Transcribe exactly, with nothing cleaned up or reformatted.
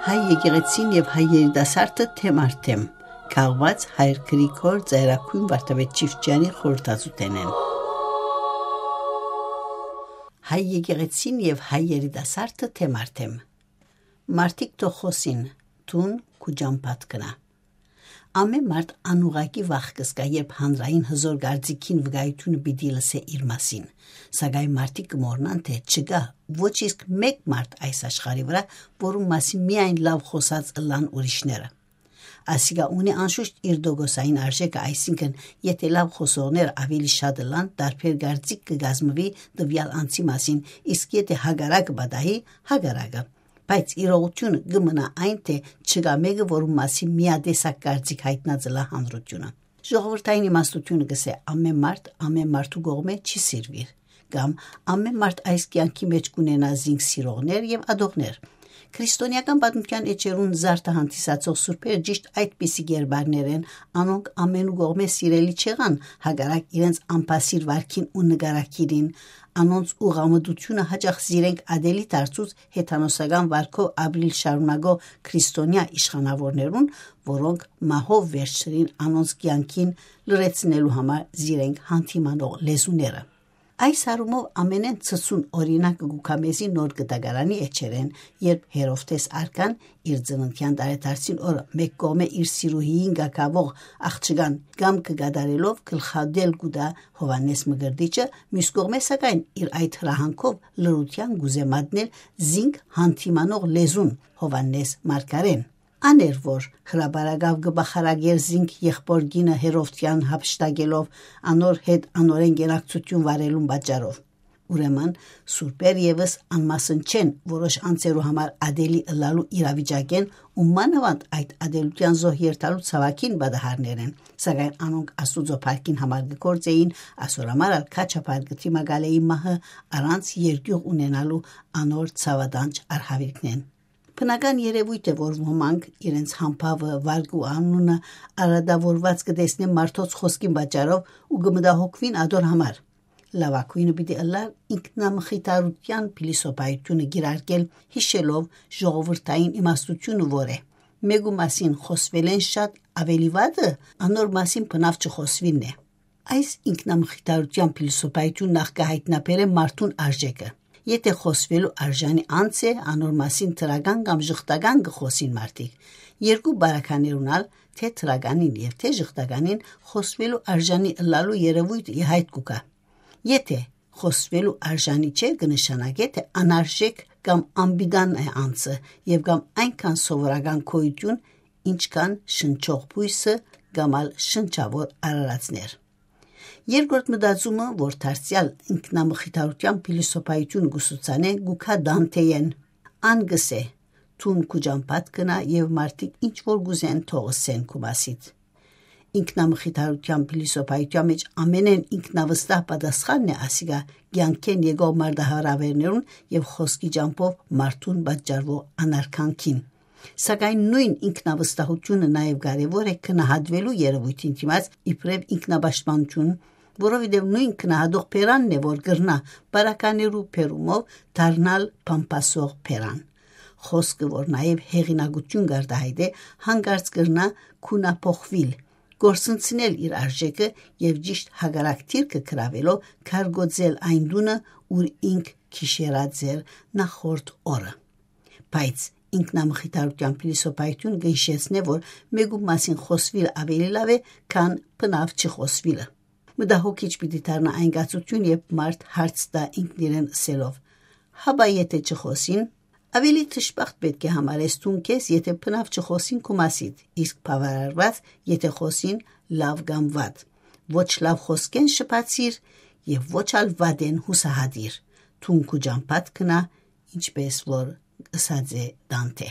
Հայ եկեղեցին եւ հայ երիտասարդը թեմ առ թեմ, քաղուած հայր Գրիգոր Ծայրագոյն Վարդապետ Չիֆճեանի խորհրդածութենէն։ Հայ եկեղեցին եւ հայ երիտասարդը թեմ առ թեմ։ Մարդիկ թող խօսին, դուն քու ճամբադ գնա։ Ամեն մարդ անուղղակի վախ կը զգայ, երբ հանրային հզօր կարծիքին վկայութիւնը պիտի լսէ իր մասին, սակայն մարդիկ կը մոռնան, թէ չկայ ոչ իսկ մէկ մարդ այս աշխարհի վրայ, որուն մասին միայն լաւ խօսած ըլլան ուրիշները։ Ասիկա ունի անշուշտ իր տոկոսային արժէքը, այսինքն՝ եթէ լաւ խօսողներ աւելի շատ ըլլան, տարբեր կարծիք կը կազմուի տուեալ անձի մասին, իսկ եթէ հակառակը պատահի, հակառակը։ Բայց իրողութիւնը կը մնայ այն, թէ չկայ մէկը, որուն մասին միատեսակ կարծիք յայտնած ըլլայ հանրութիւնը։ Ժողովրդային իմաստութիւնը կ'ըսէ. «Ամեն մարդ ամեն մարդու կողմէ չի սիրուիր», կամ «Ամեն մարդ այս կեանքի մէջ կ'ունենայ զինք սիրողներ եւ ատողներ»։ Քրիստոնեական պատմութեան էջերուն զարդը հանդիսացող սուրբեր ճիշդ այդպիսի կերպարներ են, անոնք ամենու կողմէ սիրելի չեղան, հակառակ իրենց անբասիր վարքին ու նկարագիրին, անոնց ուղղամտութիւնը յաճախ զիրենք ատելի դարձուց հեթանոսական վարքով ապրիլ շարունակող քրիստոնեայ իշխանաւորներուն, որոնք մահով վերջնին անոնց կեանքին լրացնելու համար զիրենք հանդիմանող լեզուները։ Այս առումով ամենէն ցցուն օրինակը կու գայ մեզի Նոր Կտակարանի էջերէն, երբ Հերովդէս արքան իր ծննդեան տարեդարձին օրը մէկ կողմէ իր սիրուհիին կակաւող աղջկան կամքը կատարելով գլխատել կու տայ Յովհաննէս Մկրտիչը, միւս կողմէ սակայն իր այդ հրահանգով լրութեան կ'ուզէ մատնել զինք հանդիմանող լեզուն Յովհաննէս Մարգարէն։ Ան էր, որ հրապարակաւ կը բախարակէր զինք եղբոր կինը Հերովդեան յափշտակելով անոր հետ անորեն կենակցութիւն վարելուն պատճառով։ Ուրեմն, սուրբեր եւս անմասն չեն որոշ անձերու համար ատելի ըլլալու իրավիճակէն ու մանաւանդ այդ ատելութեան զոհ երթալու ցաւագին պատահարներէն, սակայն անոնք Աստուծոյ փառքին համար կը գործէին, ասոր համար ալ քաչափար կը դիմակալէին մահը՝ առանց երկիւղ ունենալու անոր ցաւատանջ արհաւիրքնէն։ Բնական երեւոյթ է, որ ոմանք իրենց համբաւը, վարկը ու անունը արատաւորուած կը տեսնեն մարդոց խօսքին պատճառով ու կը մտահոգուին ատոր համար։ Լաւագոյնը պիտի ըլլար ինքնամխիթարութեան փիլիսոփայութիւնը կիրարկել, յիշելով ժողովրդային իմաստութիւնը, որ է. «Մէկու մասին խօսուելէն շատ աւելի վատը անոր մասին բնաւ չխօսուիլն է»։ Այս ինքնամխիթարութեան փիլիսոփայութիւնը նախ կը յայտնաբերէ մարդուն արժէքը։ Եթէ խօսուելու արժանի անձ է, անոր մասին դրական կամ ժխտական կը խօսին մարդիկ։ Երկու բարականերուն ալ, թէ դրականին եւ թէ ժխտականին, խօսուելու արժանի ըլլալու երեւոյթը ի յայտ կու գայ։ Եթէ խօսուելու արժանի չէ, կը նշանակէ, թէ անարժէք կամ անպիտան է անձը եւ կամ այնքան սովորական գոյութիւն, ինչքան շնչող բոյսը կամ ալ շնչաւոր արարածներ։ Երկրորդ մտածումը, որ դարձեալ ինքնամխիթարութեան փիլիսոփայութիւնը կը սուսանէ, կու գայ Դանթեէն։ Ան կ'ըսէ. «Դուն քու ճամբադ գնա եւ մարդիկ ինչ որ կ'ուզեն, թող ըսեն քու մասիդ»։ Ինքնամխիթարութեան փիլիսոփայութեան մէջ ամենէն ինքնավստահ պատասխանն է ասիկա կեանքէն եկող մարտահրաւէրներուն եւ խօսքի ճամբով մարդուն պատճառվող անարգանքին։ Սակայն նոյն ինքնավստահութիւնը նաեւ կարեւոր է գնահատուելու երեւոյթին դիմաց իբրեւ ինքնապաշտպանութիւն, որովհետեւ նոյն գնահատող բերանն է, որ կրնայ բարականերու բերումով դառնալ բամբասող բերան։ Խօսքը, որ նաեւ հեղինակութիւն կ'արտահայտէ, յանկարծ կրնայ գունափոխուիլ, կորսնցնել իր արժէքը եւ ճիշդ հակառակ դիրքը գրաւելով՝ քարկոծել այն տունը, ուր ինք գիշերած էր նախորդ օրը։ Բայց ինքնամխիթարութեան փիլիսոփայութիւնը կը յիշեցնէ, որ մէկու մասին խօսուիլը աւելի լաւ է, քան բնաւ չխօսուիլը։ Մտահոգիչ պիտի դառնայ այն կացութիւն, երբ մարդ հարց տայ ինքնիրեն ըսելով. «Հապա եթէ չխօսին»։ Աւելի դժբախտ պէտք է համարես դուն քեզ, եթէ բնաւ չխօսին քու մասիդ, իսկ բաւարարուած, եթէ խօսին լաւ կամ վատ։ Ոչ լաւ խօսքէն շփացիր եւ ոչ ալ վատէն յուսահատիր։ Դուն քու ճամբադ գնա, ինչպէս որ ըսած է Դանթէ։